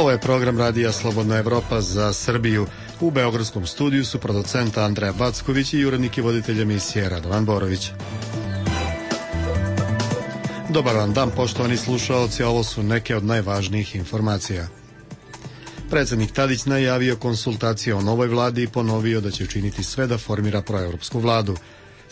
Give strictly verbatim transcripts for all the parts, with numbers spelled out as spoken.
Ovo je program Radija Slobodna Evropa za Srbiju. U beogradskom studiju su producent Andreja Backović i urednik i voditelj emisije Radovan Borović. Dobar vam dan, poštovani slušaoci, ovo su neke od najvažnijih informacija. Predsjednik Tadić najavio konsultacije o novoj vladi i ponovio da će učiniti sve da formira proevropsku vladu.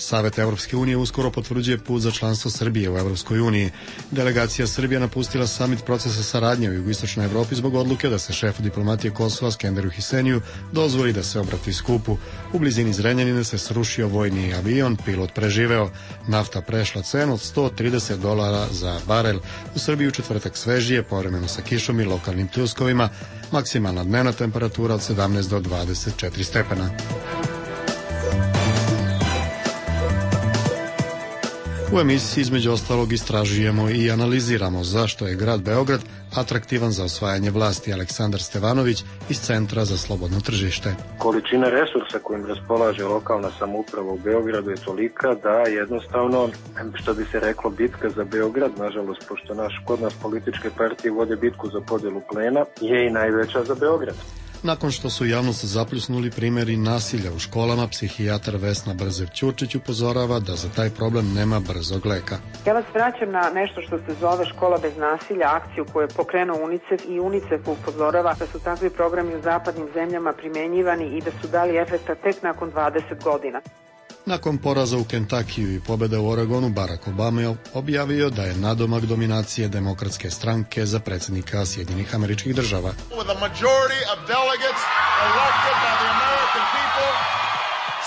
Savet Evropske unije uskoro potvrđuje put za članstvo Srbije u Evropskoj uniji. Delegacija Srbije napustila samit procesa saradnje u jugoistočnoj Evropi zbog odluke da se šefu diplomatije Kosova Skenderu Hiseniju dozvoli da se obrati skupu. U blizini Zrenjanina se srušio vojni avion, pilot preživeo. Nafta prešla cenu od sto trideset dolara za barel. U Srbiji u četvrtak svežije, povremeno sa kišom i lokalnim pljuskovima. Maksimalna dnevna temperatura od sedamnaest do dvadeset četiri stepena. U emisiji između ostalog istražujemo i analiziramo zašto je grad Beograd atraktivan za osvajanje vlasti. Aleksandar Stevanović iz Centra za slobodno tržište. Količina resursa kojim raspolaže lokalna samouprava u Beogradu je tolika da jednostavno, što bi se reklo, bitka za Beograd, nažalost, pošto naš, kod nas političke partije vode bitku za podjelu plena, je i najveća za Beograd. Nakon što su javnost zapljusnuli primjeri nasilja u školama, psihijatar Vesna Brzev-Ćurčić upozorava da za taj problem nema brzog leka. Ja vas vraćam na nešto što se zove Škola bez nasilja, akciju koju je pokrenuo UNICEF i UNICEF upozorava da su takvi programi u zapadnim zemljama primenjivani i da su dali efekta tek nakon dvadeset godina. Nakon poraza u Kentakiju i pobjede u Oregonu, Barack Obama je objavio da je nadomak dominacije demokratske stranke za predsjednika Sjedinjenih Američkih Država.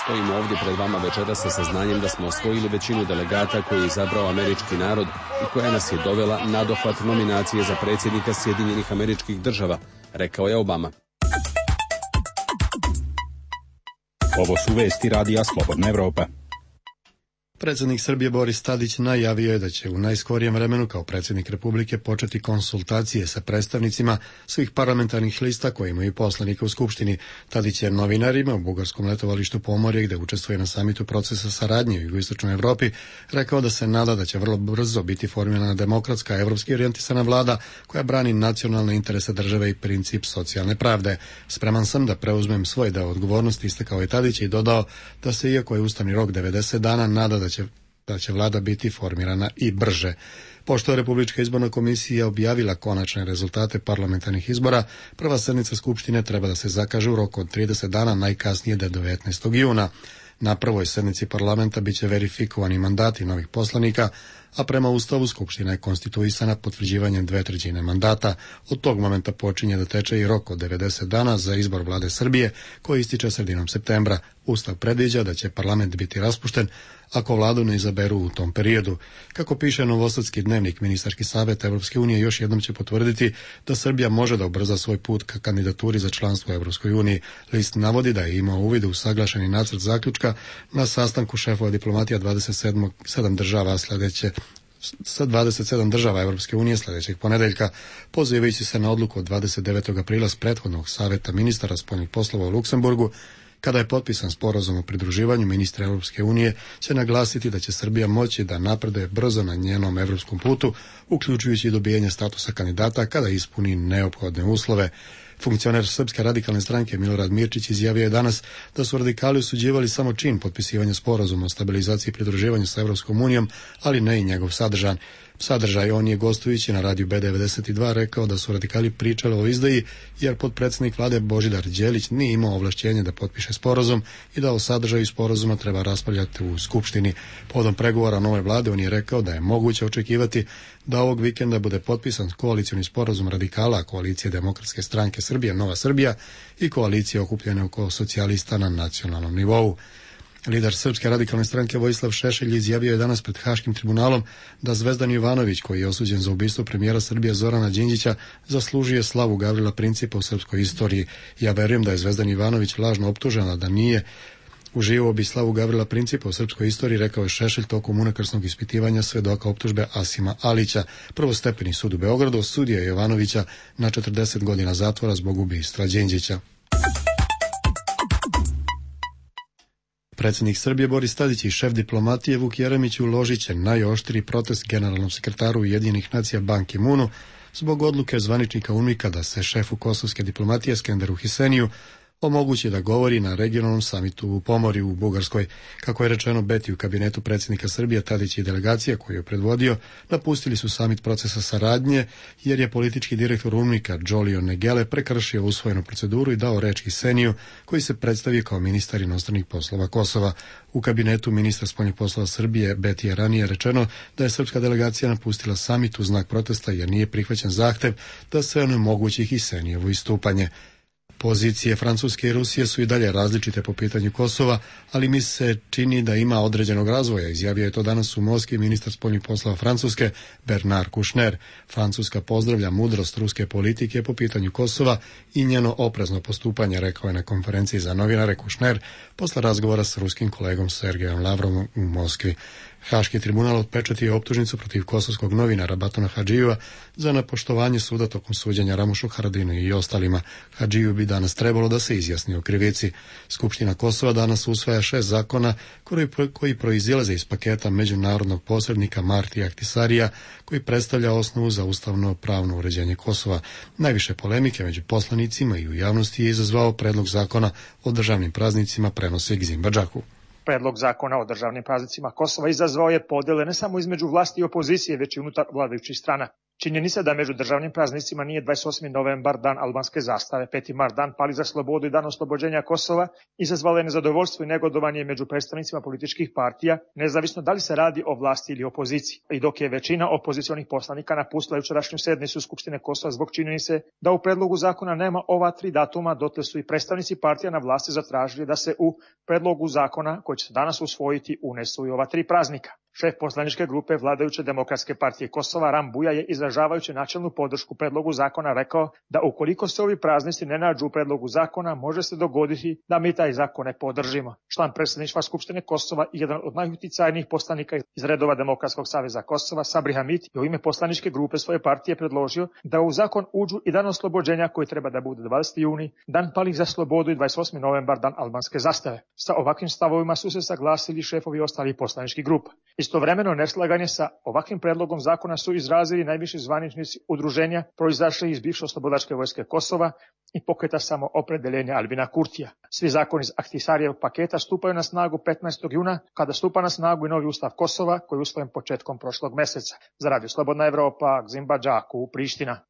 Stojimo ovdje pred vama večeras sa saznanjem da smo osvojili većinu delegata koji je izabrao američki narod i koja nas je dovela na dohvat nominacije za predsjednika Sjedinjenih Američkih Država, rekao je Obama. Ovo su vesti Radija Slobodna Evropa. Predsjednik Srbije Boris Tadić najavio je da će u najskorijem vremenu kao predsjednik Republike početi konsultacije sa predstavnicima svih parlamentarnih lista koji imaju poslanika u Skupštini. Tadić je novinarima u bugarskom letovalištu Pomorje, gde učestvuje na samitu procesa saradnje u jugoistočnoj Evropi, rekao da se nada da će vrlo brzo biti formirana demokratska, evropski orijentisana vlada koja brani nacionalne interese države i princip socijalne pravde. Spreman sam da preuzmem svoj deo odgovornosti, istakao je Tadić i dodao da se, iako je ustavni rok devedeset dana, nada da će da će vlada biti formirana i brže. Pošto je Republička izborna komisija objavila konačne rezultate parlamentarnih izbora, prva sednica Skupštine treba da se zakaže u roku od trideset dana, najkasnije do devetnaestog juna. Na prvoj sednici parlamenta biće verifikovani mandati novih poslanika, a prema Ustavu Skupština je konstituisana potvrđivanjem dve trećine mandata. Od tog momenta počinje da teče i rok od devedeset dana za izbor vlade Srbije, koji ističe sredinom septembra. Ustav predviđa da će parlament biti raspušten ako vladu ne izaberu u tom periodu. Kako piše Novosadski dnevnik, ministarski savet Evropske unije još jednom će potvrditi da Srbija može da ubrza svoj put ka kandidaturi za članstvo u Evropskoj uniji. List navodi da je imao uvid u usaglašeni nacrt zaključka na sastanku šefova diplomatija dvadeset sedam država sledeće sa dvadeset sedam država Evropske unije sljedećeg ponedeljka, pozivajući se na odluku od dvadeset devetog aprila s prethodnog saveta ministara spoljnih poslova u Luksemburgu. Kada je potpisan sporazum o pridruživanju, ministri Evropske unije će naglasiti da će Srbija moći da napreduje brzo na njenom evropskom putu, uključujući i dobijanje statusa kandidata kada ispuni neophodne uslove. Funkcioner Srpske radikalne stranke Milorad Mirčić izjavio je danas da su radikali osuđivali samo čin potpisivanja sporazuma o stabilizaciji i pridruživanju sa Evropskom unijom, ali ne i njegov sadržaj. Sadržaj on je gostujući na radiju B devedeset dva rekao da su radikali pričali o izdaji, jer potpredsjednik vlade Božidar Đelić nije imao ovlašćenje da potpiše sporazum i da o sadržaju sporazuma treba raspravljati u Skupštini. Povodom pregovora nove vlade on je rekao da je moguće očekivati da ovog vikenda bude potpisan koalicioni sporazum radikala, koalicije Demokratske stranke Srbije, Nova Srbija i koalicije okupljene oko socijalista na nacionalnom nivou. Lider Srpske radikalne stranke Vojislav Šešelj izjavio je danas pred Haškim tribunalom da Zvezdan Jovanović, koji je osuđen za ubistvo premijera Srbije Zorana Đinđića, zaslužuje slavu Gavrila Principa u srpskoj istoriji. Ja verujem da je Zvezdan Jovanović lažno optužena, da nije uživao bi slavu Gavrila Principa u srpskoj istoriji, rekao je Šešelj tokom unakrsnog ispitivanja svedoka optužbe Asima Alića. Prvostepeni sud u Beogradu osudio je Jovanovića na četrdeset godina zatvora zbog ubistva Đinđića. Predsjednik Srbije Boris Tadić i šef diplomatije Vuk Jeremić uložit će najoštriji protest generalnom sekretaru Ujedinjenih nacija Ban Ki-moonu zbog odluke zvaničnika UNMIK-a da se šefu kosovske diplomatije Skenderu Hiseniju omogući da govori na regionalnom samitu u Pomorju u Bugarskoj. Kako je rečeno Beti u kabinetu predsjednika Srbije, Tadić i delegacija koju je predvodio napustili su samit procesa saradnje jer je politički direktor UNMIK-a Džolio Negele prekršio usvojenu proceduru i dao reč Hiseniju koji se predstavio kao ministar inostranih poslova Kosova. U kabinetu ministra spoljnih poslova Srbije Beti je ranije rečeno da je srpska delegacija napustila samit u znak protesta jer nije prihvaćen zahtev da se onemogući Hisenijevo istupanje. Pozicije Francuske i Rusije su i dalje različite po pitanju Kosova, ali mi se čini da ima određenog razvoja, izjavio je to danas u Moskvi ministar spoljnih poslova Francuske Bernard Kouchner. Francuska pozdravlja mudrost ruske politike po pitanju Kosova i njeno oprezno postupanje, rekao je na konferenciji za novinare Kouchner posle razgovora s ruskim kolegom Sergejom Lavrovom u Moskvi. Haški tribunal otpečatio je optužnicu protiv kosovskog novinara Batona Hadžijeva za nepoštovanje suda tokom suđenja Ramušu Haradinu i ostalima. Hadžiju bi danas trebalo da se izjasni o krivici. Skupština Kosova danas usvaja šest zakona koji, koji proizilaze iz paketa međunarodnog posrednika Martija Ahtisarija, koji predstavlja osnovu za ustavno pravno uređenje Kosova. Najviše polemike među poslanicima i u javnosti je izazvao predlog zakona o državnim praznicima, prenosi Gzim Badžaku. Predlog zakona o državnim praznicima Kosova izazvao je podele ne samo između vlasti i opozicije, već i unutar vladajućih strana. Činjenica da među državnim praznicima nije dvadeset osmi novembar, dan albanske zastave, peti mart, dan pali za slobodu i dan oslobođenja Kosova, izazvala je nezadovoljstvo i negodovanje među predstavnicima političkih partija, nezavisno da li se radi o vlasti ili opoziciji. I dok je većina opozicionih poslanika napustila jučerašnju sednicu Skupštine Kosova zbog činjenice da u predlogu zakona nema ova tri datuma, dotle su i predstavnici partija na vlasti zatražili da se u predlogu zakona koji će se danas usvojiti unesu i ova tri praznika. Šef poslaničke grupe vladajuće Demokratske partije Kosova Ram Buja je izražavajući načelnu podršku predlogu zakona rekao da ukoliko se ovi praznici ne nađu u predlogu zakona, može se dogoditi da mi taj zakon ne podržimo. Član predsjedništva Skupštine Kosova i jedan od najuticajnijih poslanika iz redova Demokratskog saveza Kosova, Sabri Hamid, je u ime poslaničke grupe svoje partije predložio da u zakon uđu i dan oslobođenja koji treba da bude dvadeseti juni, dan palih za slobodu i dvadeset osmi novembar, dan albanske zastave. Sa ovakvim stavovima su se saglasili šefovi ostalih poslaničkih grupa. Istovremeno neslaganje sa ovakvim predlogom zakona su izrazili najviši zvaničnici udruženja proizašli iz bivše oslobodačke vojske Kosova i pokreta Samoopredeljenja Albina Kurtija. Svi zakoni iz Ahtisarijevog paketa stupaju na snagu petnaestog juna, kada stupa na snagu i novi ustav Kosova, koji je usvojen početkom prošlog meseca. Za Radio Slobodna Evropa, Gzim Badžaku, Priština.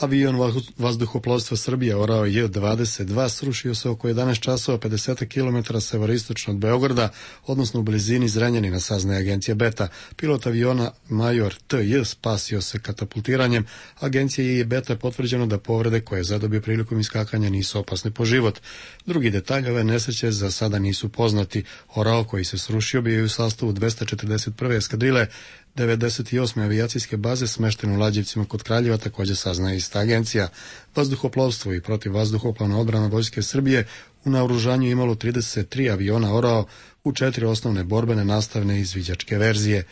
Avion vazduhoplovstva Srbije orao J dvadeset dva srušio se oko jedanaest časova pedeset kilometara severistočno od Beograda, odnosno u blizini Zrenjanina, saznaje agencija Beta. Pilot aviona major T J spasio se katapultiranjem. Agencija je Beta potvrđeno da povrede koje je zadobio prilikom iskakanja nisu opasne po život. Drugi detalj ove nesreće za sada nisu poznati. Orao koji se srušio bio je u sastavu dvesta četrdeset prve eskadrile devedeset osme avijacijske baze smešten u Lađevcima kod Kraljeva, također saznaje ista agencija. Vazduhoplovstvo i protivvazduhoplovna odbrana Vojske Srbije u naoružanju imalo trideset tri aviona orao u četiri osnovne borbene, nastavne i izviđačke verzije.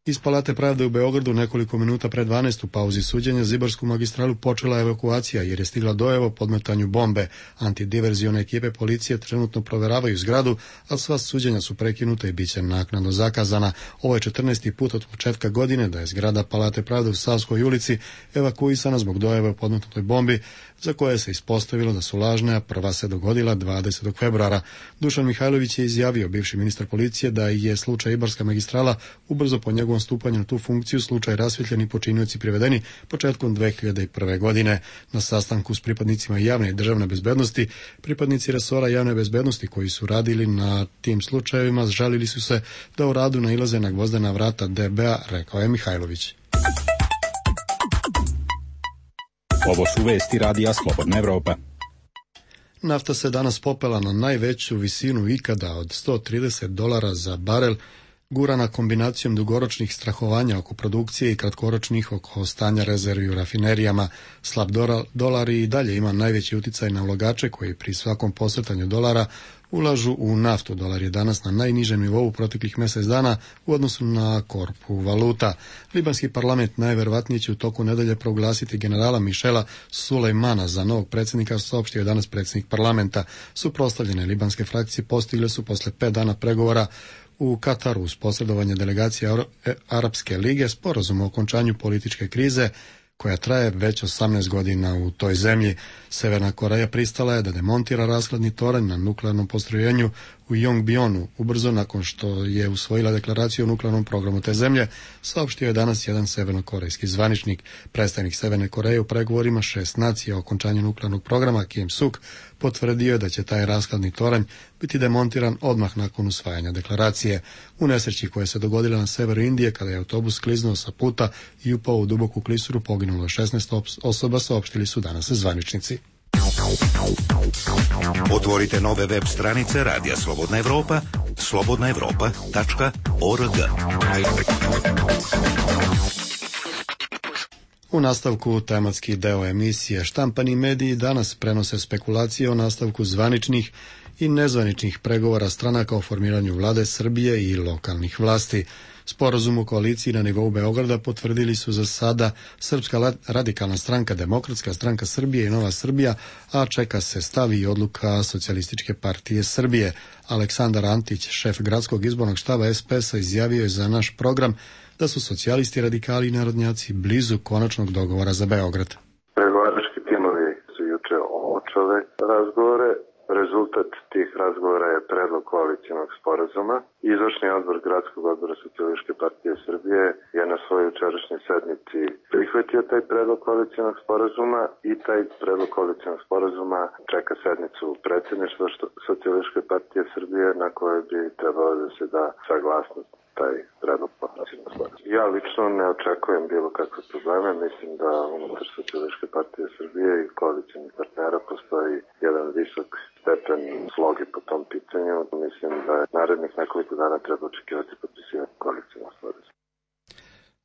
Iz Palate pravde u Beogradu nekoliko minuta pre dvanaest u pauzi suđenja za Ibarsku magistralu počela evakuacija jer je stigla dojava o podmetanju bombe. Antidiverzione ekipe policije trenutno proveravaju zgradu, a sva suđenja su prekinuta i bit će naknadno zakazana. Ovo je četrnaesti put od početka godine da je zgrada Palate pravde u Savskoj ulici evakuisana zbog dojave o podmetnutoj bombi, za koje se ispostavilo da su lažne, a prva se dogodila dvadesetog februara. Dušan Mihajlović je izjavio, bivši ministar policije, da je slučaj Ibarska magistrala ubrzo po njegovom stupanju na tu funkciju slučaj rasvjetljen i počinioci privedeni početkom dve hiljade prve. godine. Na sastanku s pripadnicima javne i državne bezbednosti, pripadnici resora javne bezbednosti koji su radili na tim slučajevima žalili su se da u radu nailaze na gvozdena vrata D B A, rekao je Mihajlović. Ovo su vesti Radija Slobodna Evropa. Nafta se danas popela na najveću visinu ikada od sto trideset dolara za barel, gurana kombinacijom dugoročnih strahovanja oko produkcije i kratkoročnih oko stanja rezervi u rafinerijama. Slab dolar i dalje ima najveći uticaj na ulagače koji pri svakom posrtanju dolara ulažu u naftu. Dolar je danas na najnižem nivou proteklih mjesec dana u odnosu na korpu valuta. Libanski parlament najverovatnije će u toku nedelje proglasiti generala Mišela Sulejmana za novog predsjednika, saopštio je danas predsjednik parlamenta. Suprotstavljene libanske frakcije postigle su posle pet dana pregovora u Kataru uz posredovanje delegacije Arapske lige sporazum o okončanju političke krize koja traje već osamnaest godina u toj zemlji. Severna Koreja pristala je da demontira rashladni toranj na nuklearnom postrojenju u Yongbyonu ubrzo nakon što je usvojila deklaraciju o nuklearnom programu te zemlje, saopštio je danas jedan severnokorejski zvaničnik. Predstavnik Severne Koreje u pregovorima šest nacija o okončanju nuklearnog programa Kim Suk potvrdio je da će taj rashladni toranj biti demontiran odmah nakon usvajanja deklaracije. U nesreći koja se dogodila na severu Indije kada je autobus kliznuo sa puta i upao u duboku klisuru, poginulo šesnaest osoba, saopštili su danas zvaničnici. Otvorite nove web stranice Radija Slobodna Evropa, slobodna evropa tačka org. U nastavku tematski deo emisije štampani mediji danas prenose spekulacije o nastavku zvaničnih i nezvaničnih pregovora stranaka o formiranju vlade Srbije i lokalnih vlasti. Sporazum u koaliciji na nivou Beograda potvrdili su za sada Srpska radikalna stranka, Demokratska stranka Srbije i Nova Srbija, a čeka se stav i odluka Socijalističke partije Srbije. Aleksandar Antić, šef gradskog izbornog štaba es pe es-a, izjavio je za naš program da su socijalisti, radikali i narodnjaci blizu konačnog dogovora za Beograd. Pregovarački timovi su juče očele razgovore. Rezultat tih razgovora je predlog koalicijonog sporazuma. Izvršni odbor Gradskog odbora Socijalističke partije Srbije je na svojoj jučerašnjoj sednici prihvatio taj predlog koalicijonog sporazuma i taj predlog koalicijonog sporazuma čeka sednicu predsjedništva Socijalističke partije Srbije na kojoj bi trebalo da se da saglasnost taj predlog koalicijonog sporazuma. Ja lično ne očekujem bilo kakve probleme. Mislim da unutar Socijalističke partije Srbije i koalicijonih partnera postoji jedan visok stepen sloge po tom pitanju. Mislim da je narednih nekoliko dana treba očekivati potpisivanje koalicijnog sporazuma.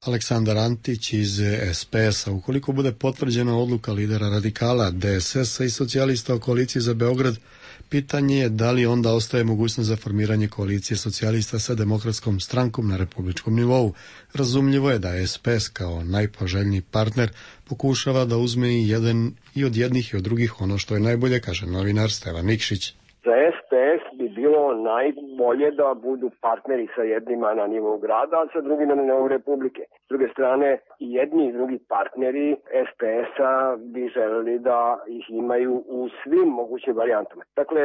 Aleksandar Antić iz es pe es-a. Ukoliko bude potvrđena odluka lidera radikala, de es es-a i socijalista o koaliciji za Beograd, pitanje je da li onda ostaje mogućnost za formiranje koalicije socijalista sa Demokratskom strankom na republičkom nivou. Razumljivo je da es pe es kao najpoželjniji partner pokušava da uzme i jedan i od jednih i od drugih ono što je najbolje, kaže novinar Stevan Nikšić. Za es pe es bi bilo najbolje da budu partneri sa jednima na nivou grada, a sa drugima na nivou republike. S druge strane, i jedni i drugi partneri es pe es-a bi želeli da ih imaju u svim mogućim varijantama. Dakle,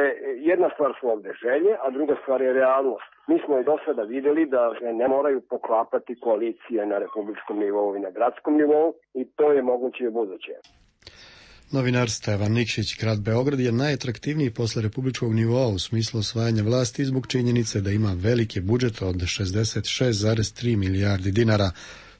jedna stvar su ovde želje, a druga stvar je realnost. Mi smo i do sada videli da ne moraju poklapati koalicije na republičkom nivou i na gradskom nivou i to je moguće i u buduće. Novinar Stevan Nikšić. Grad Beograd je najatraktivniji posle republičkog nivoa u smislu osvajanja vlasti zbog činjenice da ima veliki budžet od šezdeset šest zarez tri milijardi dinara,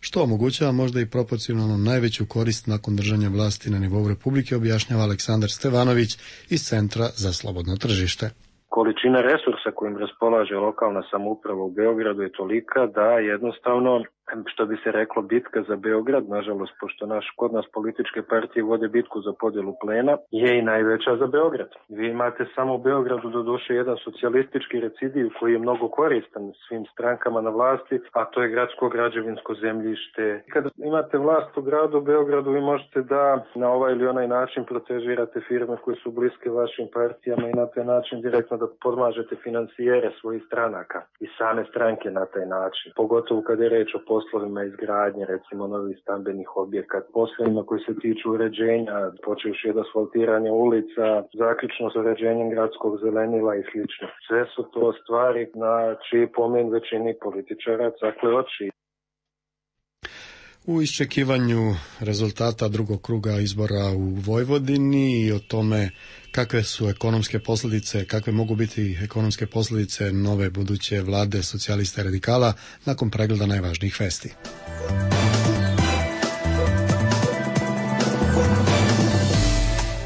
što omogućava možda i proporcionalno najveću korist nakon držanja vlasti na nivou republike, objašnjava Aleksandar Stevanović iz Centra za slobodno tržište. Količina resursa kojim raspolaže lokalna samouprava u Beogradu je tolika da jednostavno, što bi se reklo, bitka za Beograd, nažalost, pošto naš, kod nas političke partije vode bitku za podjelu plena, je i najveća za Beograd. Vi imate samo u Beogradu do duše jedan socijalistički recidiv koji je mnogo koristan svim strankama na vlasti, a to je gradsko građevinsko zemljište. Kada imate vlast u gradu Beogradu, vi možete da na ovaj ili onaj način protežirate firme koje su bliske vašim partijama i na taj način direktno da podmažete financijere svojih stranaka i same stranke na taj način. Pogotovo kada je reč o poslovima izgradnje, recimo novih stambenih objekata, poslovima koji se tiču uređenja, počevši od asfaltiranja ulica, zaključno s uređenjem gradskog zelenila i slično. Sve su to stvari na čiji pomen većini političara cakle oči. U iščekivanju rezultata drugog kruga izbora u Vojvodini i o tome kakve su ekonomske posljedice, kakve mogu biti ekonomske posljedice nove buduće vlade socijalista i radikala nakon pregleda najvažnijih vesti.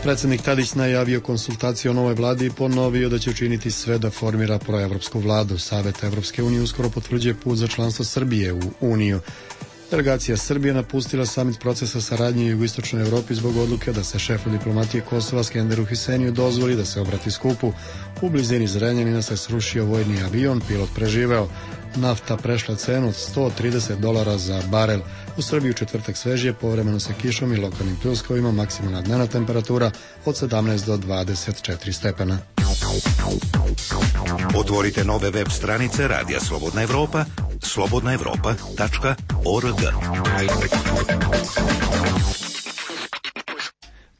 Predsjednik Tadić najavio konsultacije o novoj vladi i ponovio da će učiniti sve da formira proevropsku vladu. Savet Evropske unije uskoro potvrđuje put za članstvo Srbije u Uniju. Delegacija Srbije napustila samit procesa saradnje u jugoistočnoj Evropi zbog odluke da se šefu diplomatije Kosova Skenderu Hiseniju dozvoli da se obrati skupu. U blizini Zrenjanina se srušio vojni avion, pilot preživeo. Nafta prešla cenu od sto trideset dolara za barel. U Srbiji u četvrtak svežije, povremeno sa kišom i lokalnim pljuskovima, maksimalna dnevna temperatura od sedamnaest do dvadeset četiri stepena. Otvorite nove web stranice Radija Slobodna Evropa, slobodna evropa tačka org.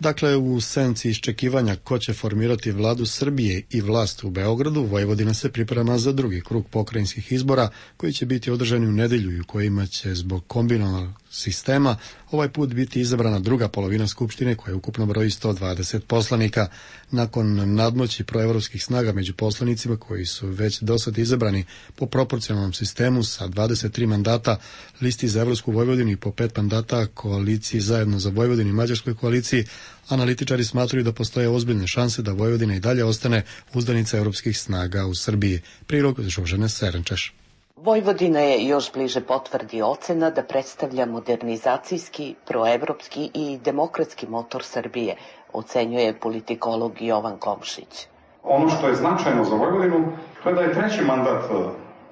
Dakle, u senci iščekivanja ko će formirati vladu Srbije i vlast u Beogradu, Vojvodina se priprema za drugi krug pokrajinskih izbora koji će biti održani u nedelju i u kojima će zbog kombinovanog sistema ovaj put biti izabrana druga polovina Skupštine koja ukupno broji sto dvadeset poslanika. Nakon nadmoći proevropskih snaga među poslanicima koji su već dosad izabrani po proporcionalnom sistemu sa dvadeset tri mandata listi za Evropsku Vojvodinu i po pet mandata koaliciji Zajedno za Vojvodinu i Mađarskoj koaliciji, analitičari smatraju da postoje ozbiljne šanse da Vojvodina i dalje ostane uzdanica evropskih snaga u Srbiji. Prilog Žožene Serenčeš. Vojvodina je još bliže potvrdi ocena da predstavlja modernizacijski, proevropski i demokratski motor Srbije, ocenjuje politikolog Jovan Komšić. Ono što je značajno za Vojvodinu, to je da je treći mandat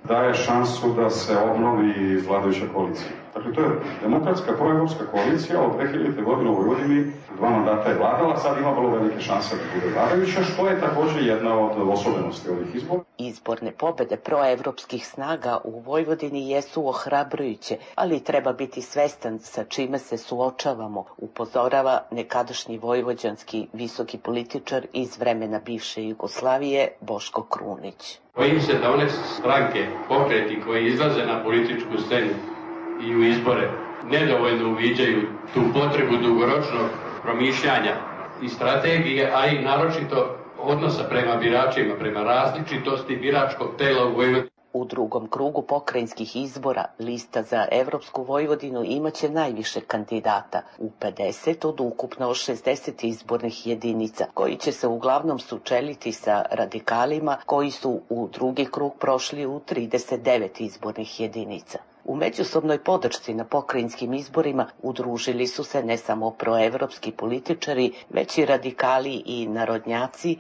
daje šansu da se obnovi vladajuća koalicija. Dakle, to je demokratska proevropska koalicija od dve hiljadite godine u Vojvodini, dva mandata je vladala, sad ima vrlo velike šanse da bude vladajuća, što je također jedna od osobenosti ovih izbora. Izborne pobede proevropskih snaga u Vojvodini jesu ohrabrujuće, ali treba biti svestan sa čime se suočavamo, upozorava nekadašnji vojvođanski visoki političar iz vremena bivše Jugoslavije Boško Krunić. Bojim se da one stranke, pokreti koji izlaze na političku scenu i u izbore nedovoljno uviđaju tu potrebu dugoročnog promišljanja i strategije, a i naročito odnosa prema biračima, prema različitosti biračkog tela u Vojvodini. U drugom krugu pokrajinskih izbora lista za Evropsku Vojvodinu imaće najviše kandidata, u pedeset od ukupno šezdeset izbornih jedinica, koji će se uglavnom sučeliti sa radikalima koji su u drugi krug prošli u trideset devet izbornih jedinica. U međusobnoj podršci na pokrajinskim izborima udružili su se ne samo proevropski političari, već i radikali i narodnjaci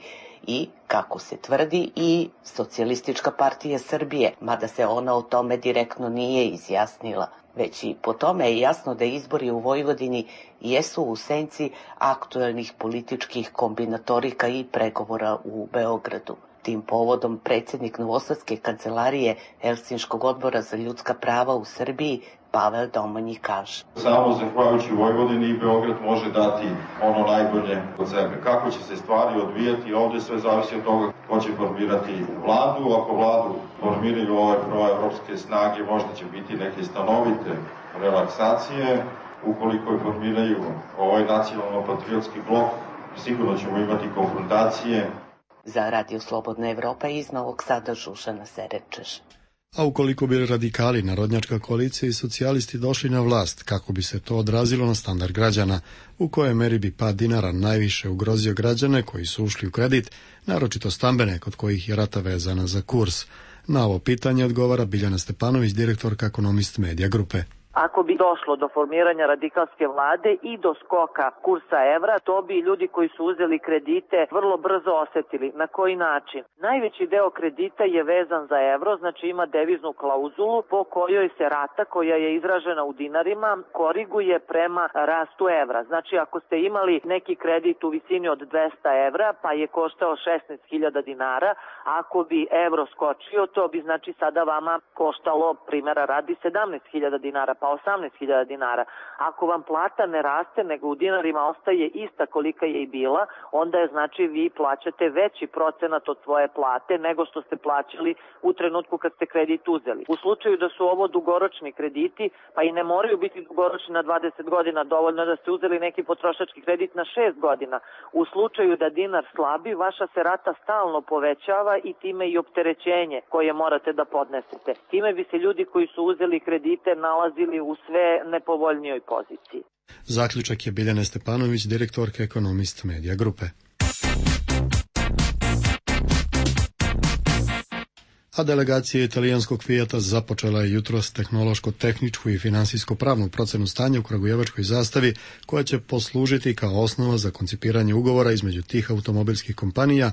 i, kako se tvrdi, i Socijalistička partija Srbije, mada se ona o tome direktno nije izjasnila. Već i po tome je jasno da izbori u Vojvodini jesu u senci aktuelnih političkih kombinatorika i pregovora u Beogradu. Tim povodom predsjednik Novosadske kancelarije Helsinškog odbora za ljudska prava u Srbiji Pavel Domanji kaže. Samo zahvaljujući Vojvodini Beograd može dati ono najbolje od sebe. Kako će se stvari odvijati, ovdje sve zavisi od toga ko će formirati vladu. Ako vladu formiraju ove proevropske snage, možda će biti neke stanovite relaksacije. Ukoliko je formiraju ovaj nacionalno-patriotski blok, sigurno ćemo imati konfrontacije. Za Radio Slobodna Evropa iz Novog Sada Žužana Serenčeš. A ukoliko bi radikali, narodnjačka koalicija i socijalisti došli na vlast, kako bi se to odrazilo na standard građana, u kojoj meri bi pad dinara najviše ugrozio građane koji su ušli u kredit, naročito stambene, kod kojih je rata vezana za kurs. Na ovo pitanje odgovara Biljana Stepanović, direktorka Ekonomist Medija Grupe. Ako bi došlo do formiranja radikalske vlade i do skoka kursa evra, to bi ljudi koji su uzeli kredite vrlo brzo osetili. Na koji način? Najveći deo kredita je vezan za evro, znači ima deviznu klauzulu po kojoj se rata koja je izražena u dinarima koriguje prema rastu evra. Znači ako ste imali neki kredit u visini od dvesta evra pa je koštao šesnaest hiljada dinara, ako bi evro skočio to bi znači sada vama koštalo, primjera radi, sedamnaest hiljada dinara, pa osamnaest hiljada dinara. Ako vam plata ne raste, nego u dinarima ostaje ista kolika je i bila, onda je znači vi plaćate veći procenat od svoje plate nego što ste plaćali u trenutku kad ste kredit uzeli. U slučaju da su ovo dugoročni krediti, pa i ne moraju biti dugoročni na dvadeset godina, dovoljno da ste uzeli neki potrošački kredit na šest godina. U slučaju da dinar slabi, vaša se rata stalno povećava i time i opterećenje koje morate da podnesete. Time bi se ljudi koji su uzeli kredite nalazili u sve nepovoljnijoj poziciji. Zaključak je Biljana Stepanović, direktorka Ekonomist Medija Grupe. A delegacija italijanskog Fijata započela je jutros tehnološko-tehničku i finansijsko-pravnu procenu stanja u kragujevačkoj zastavi, koja će poslužiti kao osnova za koncipiranje ugovora između tih automobilskih kompanija,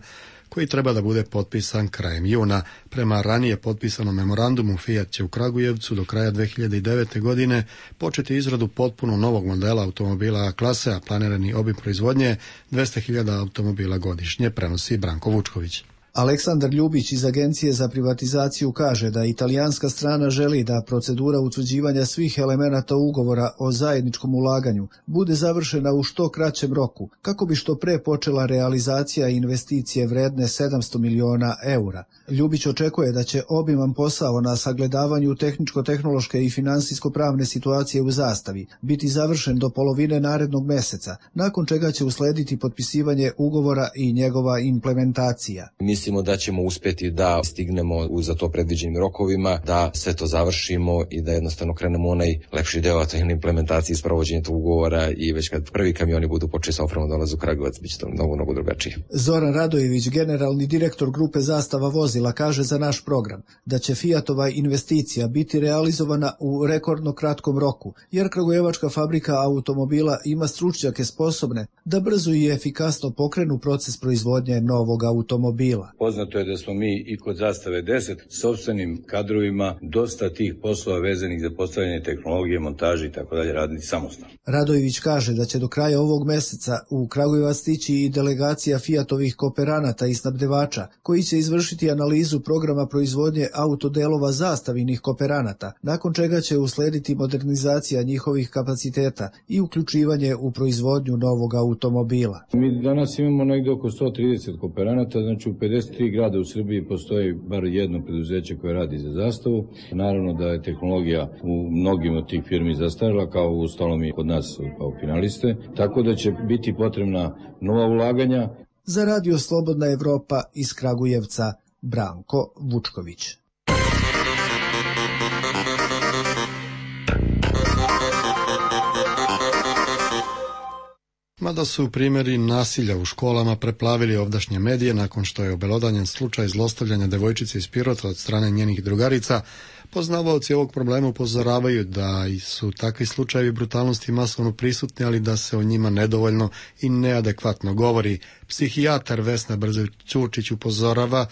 koji treba da bude potpisan krajem juna. Prema ranije potpisanom memorandumu, Fiat će u Kragujevcu do kraja dve hiljade devete. godine početi izradu potpuno novog modela automobila A klase, a planirani obim proizvodnje je dvesta hiljada automobila godišnje, prenosi Branko Vučković. Aleksandar Ljubić iz Agencije za privatizaciju kaže da italijanska strana želi da procedura utvrđivanja svih elemenata ugovora o zajedničkom ulaganju bude završena u što kraćem roku, kako bi što pre počela realizacija investicije vredne sedamsto miliona eura. Ljubić očekuje da će obiman posao na sagledavanju tehničko-tehnološke i finansijsko-pravne situacije u Zastavi biti završen do polovine narednog meseca, nakon čega će uslediti potpisivanje ugovora i njegova implementacija. Mislimo da ćemo uspjeti da stignemo u za to predviđenim rokovima, da sve to završimo i da jednostavno krenemo onaj lepši deo, a to je implementacija i sprovođenje tog ugovora, i već kad prvi kamioni budu počeli sa opremom dolaze u Kragujevac, bit će to mnogo, mnogo drugačije. Zoran Radojević, generalni direktor grupe Zastava vozila, kaže za naš program da će Fiatova investicija biti realizovana u rekordno kratkom roku, jer kragujevačka fabrika automobila ima stručnjake sposobne da brzo i efikasno pokrenu proces proizvodnje novog automobila. Poznato je da smo mi i kod Zastave deset sopstvenim kadrovima dosta tih poslova vezanih za postavljanje tehnologije, montaže i tako dalje raditi samostalno. Radojević kaže da će do kraja ovog meseca u Kragujevac stići i delegacija Fiatovih kooperanata i snabdevača koji će izvršiti analizu programa proizvodnje autodelova Zastavinih kooperanata, nakon čega će uslediti modernizacija njihovih kapaciteta i uključivanje u proizvodnju novog automobila. Mi danas imamo negdje oko sto trideset kooperanata, znači u pedeset tri grada u Srbiji postoji bar jedno preduzeće koje radi za Zastavu. Naravno da je tehnologija u mnogim od tih firmi zastarila, kao u ostalom i kod nas kao finaliste, tako da će biti potrebna nova ulaganja. Za Radio Slobodna Evropa iz Kragujevca, Branko Vučković. Mada su primjeri nasilja u školama preplavili ovdašnje medije nakon što je obelodanjen slučaj zlostavljanja devojčice iz Pirota od strane njenih drugarica, poznavaoci ovog problema upozoravaju da su takvi slučajevi brutalnosti masovno prisutni, ali da se o njima nedovoljno i neadekvatno govori. Psihijatar Vesna Brzović-Ćurčić upozorava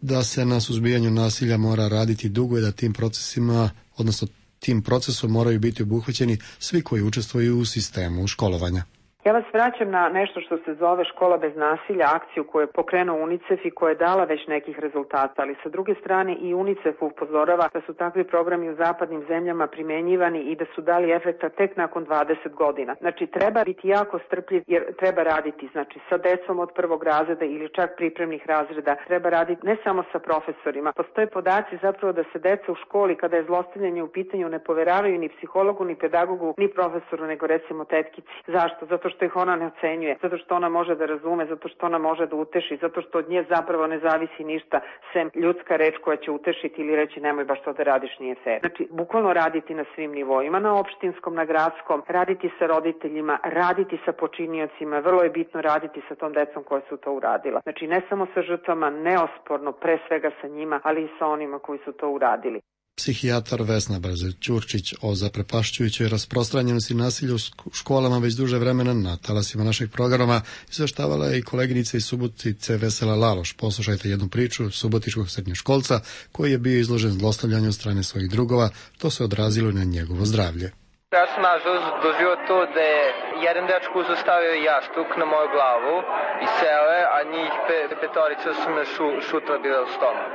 da se na suzbijanju nasilja mora raditi dugo i da tim procesima, odnosno tim procesom moraju biti obuhvaćeni svi koji učestvuju u sistemu školovanja. Ja vas vraćam na nešto što se zove Škola bez nasilja, akciju koju je pokrenuo UNICEF i koja je dala već nekih rezultata, ali sa druge strane i UNICEF upozorava da su takvi programi u zapadnim zemljama primenjivani i da su dali efekta tek nakon dvadeset godina. Znači treba biti jako strpljiv jer treba raditi znači sa decom od prvog razreda ili čak pripremnih razreda, treba raditi ne samo sa profesorima. Postoje podaci zapravo da se deca u školi kada je zlostavljanje u pitanju ne poveravaju ni psihologu, ni pedagogu, ni profesoru, nego recimo tetkici. Zašto? Zato što ih ona ne ocenjuje, zato što ona može da razume, zato što ona može da uteši, zato što od nje zapravo ne zavisi ništa sem ljudska reč koja će utešiti ili reći nemoj baš to da radiš, nije fair. Znači, bukvalno raditi na svim nivoima, na opštinskom, na gradskom, raditi sa roditeljima, raditi sa počiniocima, vrlo je bitno raditi sa tom decom koja su to uradila. Znači, ne samo sa žrtvama, neosporno, pre svega sa njima, ali i sa onima koji su to uradili. Psihijatar Vesna Brzović-Ćurčić o zaprepašćujućoj rasprostranjenosti nasilja u školama već duže vremena na talasima našeg programa izveštavala je i koleginica iz Subotice Vesela Laloš. Poslušajte jednu priču subotičkog srednjoškolca koji je bio izložen zlostavljanju od strane svojih drugova. To se odrazilo na njegovo zdravlje. Ja sam nažalost doživio to da je jedan dečko uzostavio jastuk na moju glavu i seo je, a njih pe, petorica su me šu, šutla bila u stomak.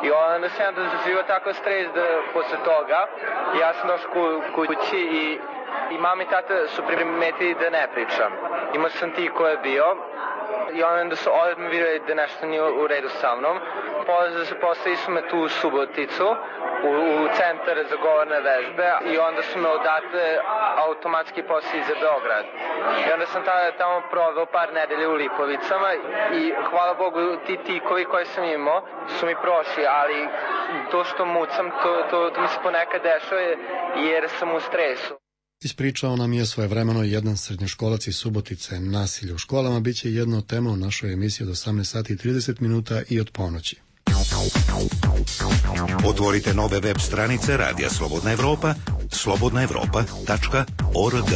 I onda sam ja doživio tako stres da posle toga ja sam došao ku, kući i, i mama i tata su primetili da ne pričam. Imao sam ti ko je bio i onda su odmah vidjeli da nešto nije u redu sa mnom. Poslali su me tu u Suboticu, u, u centar za govorne vežbe i onda su me odatle automatski poslali za Beograd. I onda sam tada, tamo proveo par nedelje u Lipovicama i hvala Bogu ti tikovi koje sam imao su mi prošli, ali to što mucam, to, to, to mi se ponekad dešava jer sam u stresu. Ispričao nam je svojevremeno jedan srednjoškolac iz Subotice. Nasilje u školama bit će jedna od tema u našoj emisiji od osamnaest sati i trideset minuta i od ponoći. Otvorite nove web stranice Radija Slobodna Evropa, slobodna evropa tačka org.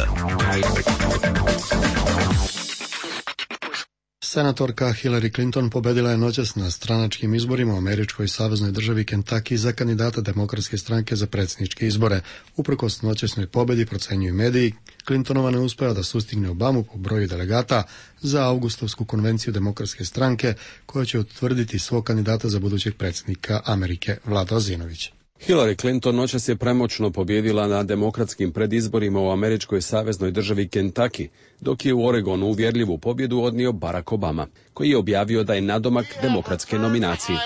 Senatorka Hillary Clinton pobedila je noćas na stranačkim izborima u američkoj saveznoj državi Kentucky za kandidata Demokratske stranke za predsjedničke izbore. Uprkos noćasnoj pobedi, procenjuju mediji, Clintonova ne uspela da sustigne Obamu po broju delegata za avgustovsku konvenciju Demokratske stranke koja će utvrditi svog kandidata za budućeg predsjednika Amerike, Vlada Ozinović. Hillary Clinton noćas je premoćno pobjedila na demokratskim predizborima u američkoj saveznoj državi Kentucky, dok je u Oregonu uvjerljivu pobjedu odnio Barack Obama, koji je objavio da je nadomak demokratske nominacije.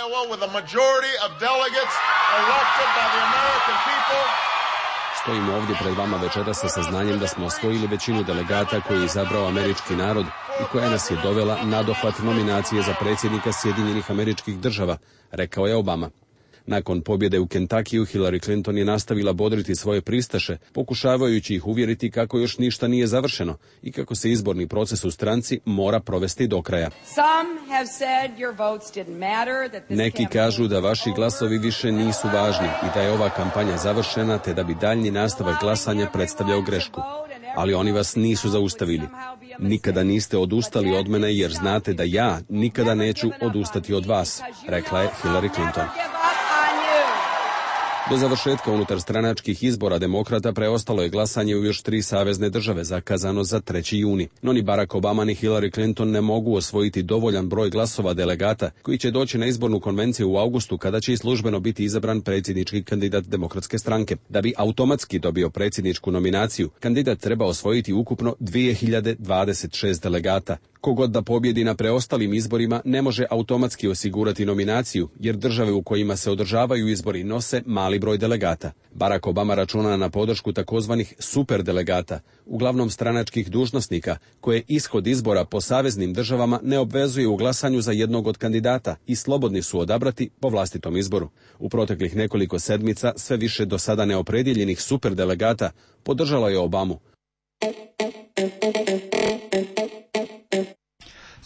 Stojimo ovdje pred vama večeras sa saznanjem da smo osvojili većinu delegata koje je izabrao američki narod i koja nas je dovela na dohvat nominacije za predsjednika Sjedinjenih Američkih Država, rekao je Obama. Nakon pobjede u Kentuckyu, Hillary Clinton je nastavila bodriti svoje pristaše, pokušavajući ih uvjeriti kako još ništa nije završeno i kako se izborni proces u stranci mora provesti do kraja. Neki kažu da vaši glasovi više nisu važni i da je ova kampanja završena, te da bi daljnji nastavak glasanja predstavljao grešku. Ali oni vas nisu zaustavili. Nikada niste odustali od mene jer znate da ja nikada neću odustati od vas, rekla je Hillary Clinton. Do završetka unutar stranačkih izbora demokrata preostalo je glasanje u još tri savezne države, zakazano za treći juni. No ni Barack Obama ni Hillary Clinton ne mogu osvojiti dovoljan broj glasova delegata koji će doći na izbornu konvenciju u avgustu kada će i službeno biti izabran predsjednički kandidat Demokratske stranke. Da bi automatski dobio predsjedničku nominaciju, kandidat treba osvojiti ukupno dvije hiljade dvadeset šest delegata. Kogod da pobjedi na preostalim izborima ne može automatski osigurati nominaciju, jer države u kojima se održavaju izbori nose mali broj delegata. Barack Obama računa na podršku takozvanih superdelegata, uglavnom stranačkih dužnosnika, koje ishod izbora po saveznim državama ne obvezuje u glasanju za jednog od kandidata i slobodni su odabrati po vlastitom izboru. U proteklih nekoliko sedmica sve više do sada neopredjeljenih superdelegata podržalo je Obamu.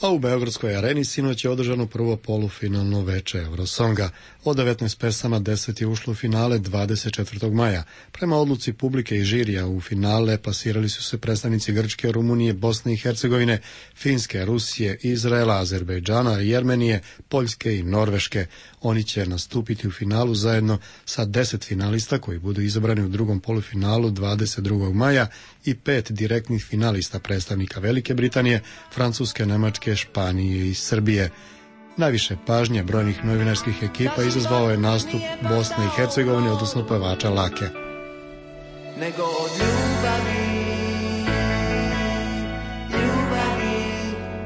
A u Beogradskoj areni sinoć je održano prvo polufinalno veče Eurosonga. Od devetnaest pesama deset je ušlo u finale dvadeset četvrtog maja. Prema odluci publike i žirija u finale plasirali su se predstavnici Grčke, Rumunije, Bosne i Hercegovine, Finske, Rusije, Izraela, Azerbejdžana, Jermenije, Poljske i Norveške. Oni će nastupiti u finalu zajedno sa deset finalista koji budu izabrani u drugom polufinalu dvadeset drugog maja i pet direktnih finalista predstavnika Velike Britanije, Francuske, Nemačke, Španije i Srbije. Najviše pažnje brojnih novinarskih ekipa izazvao je nastup Bosne i Hercegovine, odnosno pevača Lake. Nego od ljubavi, ljubavi,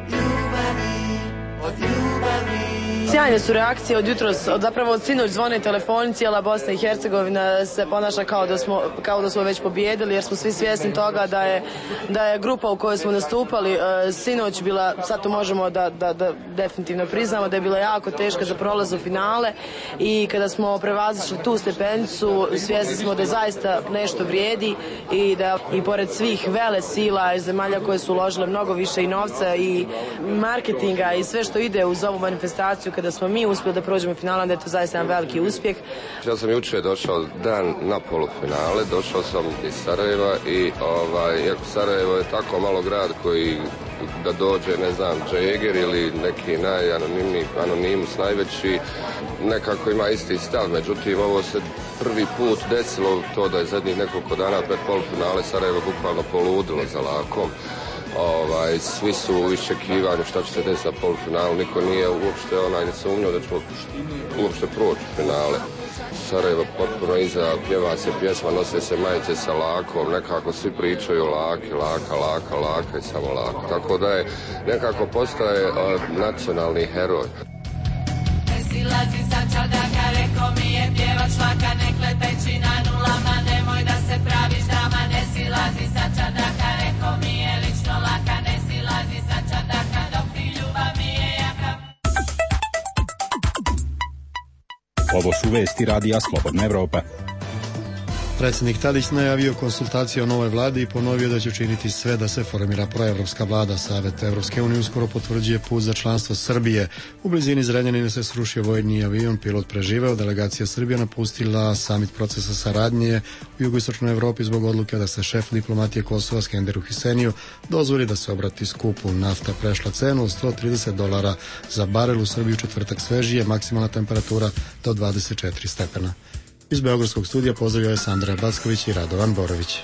ljubavi, od ljubavi. Sjajne su reakcije od jutros, od zapravo od sinoć zvone telefoni, cijela Bosna i Hercegovina se ponaša kao da smo, kao da smo već pobijedili, jer smo svi svjesni toga da je, da je grupa u kojoj smo nastupali e, sinoć bila, sad to možemo da, da, da definitivno priznamo, da je bila jako teška za prolaz u finale i kada smo prevazišli tu stepenicu, svjesni smo da zaista nešto vrijedi i da i pored svih vele sila iz zemalja koje su uložile mnogo više i novca i marketinga i sve što ide uz ovu manifestaciju, kada smo mi uspjeli da prođemo u finale, da je to zaista jedan veliki uspjeh. Ja sam jučer došao dan na polufinale, došao sam iz Sarajeva i ovaj, iako Sarajevo je tako malo grad koji da dođe, ne znam, Džeger ili neki najanonimniji anonimus najveći, nekako ima isti stav, međutim ovo se prvi put desilo to da je zadnjih nekoliko dana pred polufinale Sarajevo bukvalno poludilo za Lakom. Ovaj, svi su u iščekivanju šta će se desiti na polufinalu, niko nije uopšte onaj sumnjao da ćemo uopšte proći u finale. Sarajevo potpuno iza, pjeva se pjesma, nose se majice sa Lakom, nekako svi pričaju laki, laka, laka, laka i samo laka. Tako da je nekako postaje uh, nacionalni heroj. Ne silazi sa čardaka, reko mi je pjevač Laka, nek leteći na nulama, nemoj da se praviš dama. Ne silazi sa čardaka, reko mi je lično Laka, ne silazi sa čardaka, dok ti ljubav mi je jaka. Ovo su vesti Radija Slobodna Evropa. Predsjednik Tadić najavio konsultacije o novoj vladi i ponovio da će učiniti sve da se formira proevropska vlada. Savet Evropske unije uskoro potvrđuje put za članstvo Srbije. U blizini Zrenjanina se srušio vojni avion, pilot preživeo, delegacija Srbije napustila samit procesa saradnje u jugoistočnoj Evropi zbog odluke da se šef diplomatije Kosova Skenderu Hiseniju dozvoli da se obrati skupu. Nafta prešla cenu od sto trideset dolara za barel, u Srbiji u četvrtak svežije, maksimalna temperatura do dvadeset četiri stepena. Iz Beogradskog studija pozdravljaju Sandra Backović i Radovan Borović.